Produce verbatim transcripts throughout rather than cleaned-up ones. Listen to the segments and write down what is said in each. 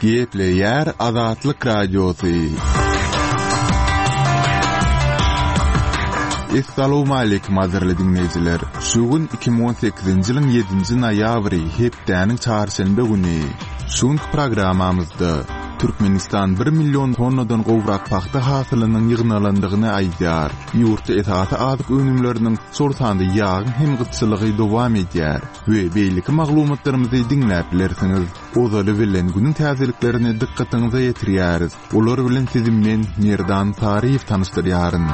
Gepleýär Azatlyk Radiosy. Essalawmaleýkim gadyrly diňleýjiler! Şu gün iki müň on sekizinji ýylyň ýedinji noýabry, hepdäniň çarşenbe güni. Şu günki programmamyzda Türkmenistan bir million tonnadan gowrak pagta hasylynyň ýygnalandygyny aýdýar. Ýurtda esasy azyk önümleriniň, şol sanda ýagyň hem gytçylygy dowam edýär we beýleki maglumatlarymyzy diňläp bilersiňiz. Ozaly bilen günüň täzeliklerini dykgatyňyza ýetirýäris. Olar bilen sizi men, Merdan Saryýew tanyşdyrýaryn.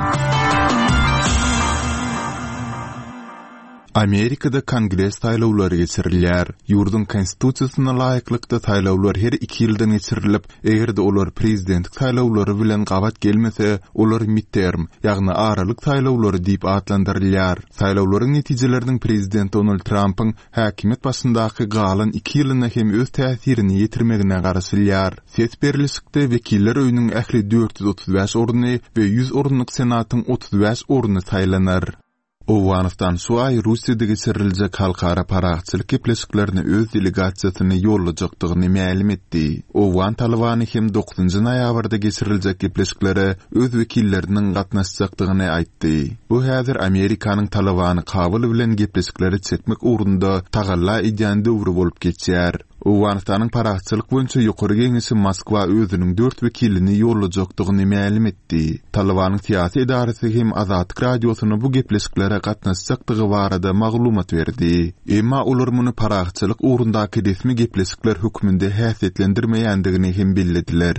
Amerikada Kongres saýlawlary geçirilýär. Ýurduň Konstitusiýasyna laýyklykda saýlawlar her iki ýyldan geçirilip, eger-de olar prezidentlik saýlawlary bilen gabat gelmese, olar midterm, ýagny aralyk saýlawlary diýip atlandyrylýar. Saýlawlaryň netijeleriniň prezident Donald Trampyň häkimiýet başyndaky galan iki ýylyna hem öz täsirini ýetirmegine garaşylýar. Ses berlişikde Wekiller öýüniň ähli dört ýüz otuz bäş orny we ýüz orunlyk Senatyň otuz bäş orny saýlanar. Owganystan şu aý Russiýada geçiriljek halkara parahatçylyk gepleşiklerine öz delegasiýasyny ýollajakdygyny mälim etdi. Owgan Talybany hem dokuzynjy noýabrda geçiriljek gepleşiklere öz wekilleriniň gatnaşjakdygyny aýtdy. Bu häzir Amerikanyň Talybany Kabul bilen gepleşiklere çekmek ugrunda tagalla edýän döwri bolup geçýär. Owganystanyň parahatçylyk boýunça ýokary geňeşi Moskwa özüniň dört wekilini ýollajakdygyny mälim etdi. Talybanyň syýasy edarasy hem Azatlyk Radiosyna bu gepleşiklere gatnaşjakdygy barada maglumat berdi. Emma olar muny parahatçylyk ugrundaky resmi gepleşikler hökmünde häsiýetlendirmeýändigini hem bellediler.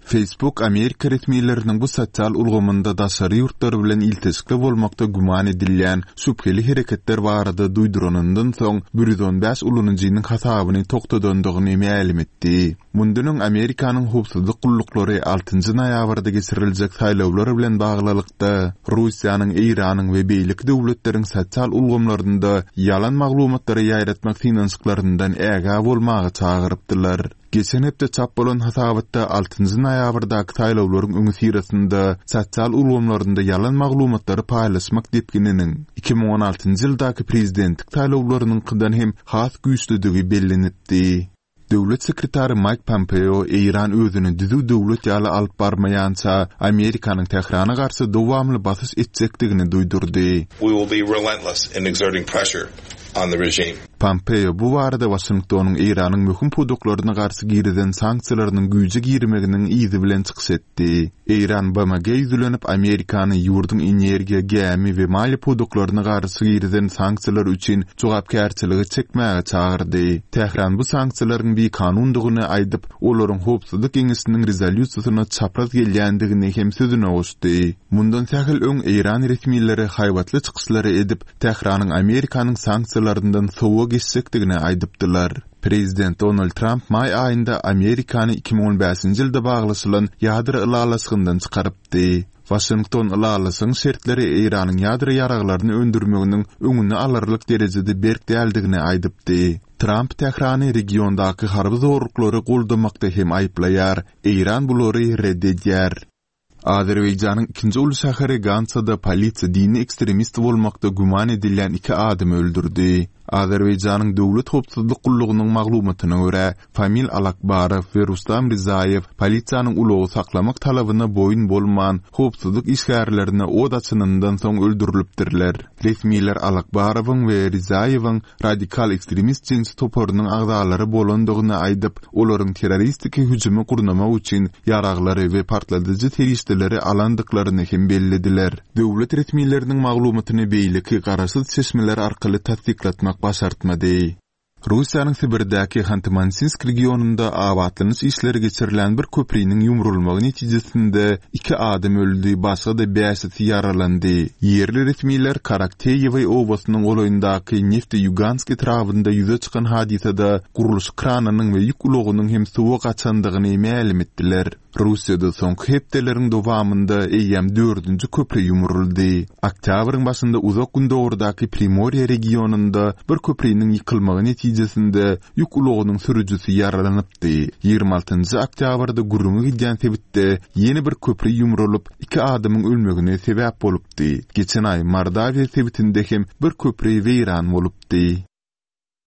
Facebook Amerika resmileriniň bu sosial ulgamynda daşary ýurtlar bilen ilteşikli bolmakda güman edilýän şübheli hereketler barada duýduranyndan soň bir ýüz on bäş ulanyjynyň hasabyny togtadandygyny mälim etdi. Mundan öň Amerikanyň howpsuzlyk gulluklary altynjy noýabrda geçiriljek saýlawlar bilen baglylykda Russiýanyň, Eýranyň we beýleki döwletleriň sosial ulgamlarynda ýalan maglumatlary ýaýratmak synanyşyklaryndan ägä bolmaga çagyrypdylar. Geçen hepde çap bolan hasabatda altynjy noýabrdaky saýlawlaryň öňüsyrasynda sosial ulgamlarynda ýalan maglumatlary paýlaşmak depgininiň iki müň on altynjy ýyldaky prezidentlik saýlawlarynyňkydan hem has güýçlüdigi bellenipdi. Döwlet sekretary Mike Pompeo Eýran özüni düzüw döwlet ýaly alyp barmaýança Amerikanyň Tährana garşy dowamly basyş etjekdigini duýdurdy. We will be relentless in exerting pressure on the regime. Pompeo bu barada Waşingtonyň Eýranyň möhüm pudaklaryna garşy girizen sanksiýalarynyň güýje girmeginiň yzy bilen çykyş etdi. Eýran B M G ýüzlenip Amerikany ýurduň energiýa, gämi we maliýe pudaklaryna garşy girizen sanksiýalar üçin jogapkärçiligi çekmäge çagyrdy. Tähran bu sanksiýalaryň bikanundygyny aýdyp, olaryň howpsuzlyk geňeşiniň rezolýusiýasyna çapraz gelýändigini hem sözüne goşdy. Mundan sähel öň Eýran resmileri haýbatly çykyşlary edip, Tähranyň Amerikanyň sanksiýalaryndan sowa geçjekdigini aýdypdylar. Prezident Donald Trump maý aýynda Amerikany iki müň on bäşinji ýylda baglaşylan ýadro ylalaşygyndan çykarypdy. Waşington ylalaşygyň şertleri Eýranyň ýadro ýaraglaryny öndürmeginiň öňüni alarlyk derejede berk däldigini aýdypdy. Trump Tährany regiondaky harby zorluklary goldamakda hem aýyplaýar. Eýran bulary red edýär. Azerbaýjanyň ikinji uly şäheri Gansada polisiýa dini ekstremist bolmakda güman edilýän iki adamy öldürdi. Azerbaýjanyň Döwlet howpsuzlyk gullugynyň maglumatyna görä, Famil Alakbarow we Rustam Rizaýew polisiýanyň ulagy saklamak talabyna boýun bolman, howpsuzlyk işgärlerine od açanyndan soň öldürilipdirler. Resmiler Alakbarowyň we Rizaýewiň radikal ekstremist jeňçi toparynyň agzalary bolandygyny aýdyp, olaryň terroristiki hüjümi gurnamak üçin ýaraglary we partladyjy serişdeleri alandyklaryny hem bellediler. Döwlet resmileriniň maglumatyny beýleki garaşsyz çeşmeler arkaly tassyklatmak başartmady. Russiýanyň Sibirdäki Hanty-Mansinsk regionynda abatlanyş işleri geçirilen bir köpriniň ýumrulmagy netijesinde iki adam öldi, başga-da bäşisi ýaralandy. Ýerli resmiler Karakteýewe obasynyň golaýyndaky Nefte-Ýugansk etrabynda ýüze çykan hadysada gurluşyk kranynyň we ýük ulagynyň hem suwa gaçandygyny mälim etdiler. Russiýada soňky hepdeleriň dowamynda eýýäm dördünji köpri ýumruldy. Oktýabryň başynda uzak gündogurdaky Primorýe regionynda bir köpriniň ýykylmagy netijesinde ýük ulagynyň sürüjisi ýaralanypdy. Ýigrimi altynjy oktýabrda gürrüňi gidýän sebitde ýene bir köpri ýumrulyp, iki adamyň ölmegine sebäp bolupdy. Geçen aý Mordawiýa sebitinde hem bir köpri weýran bolupdy.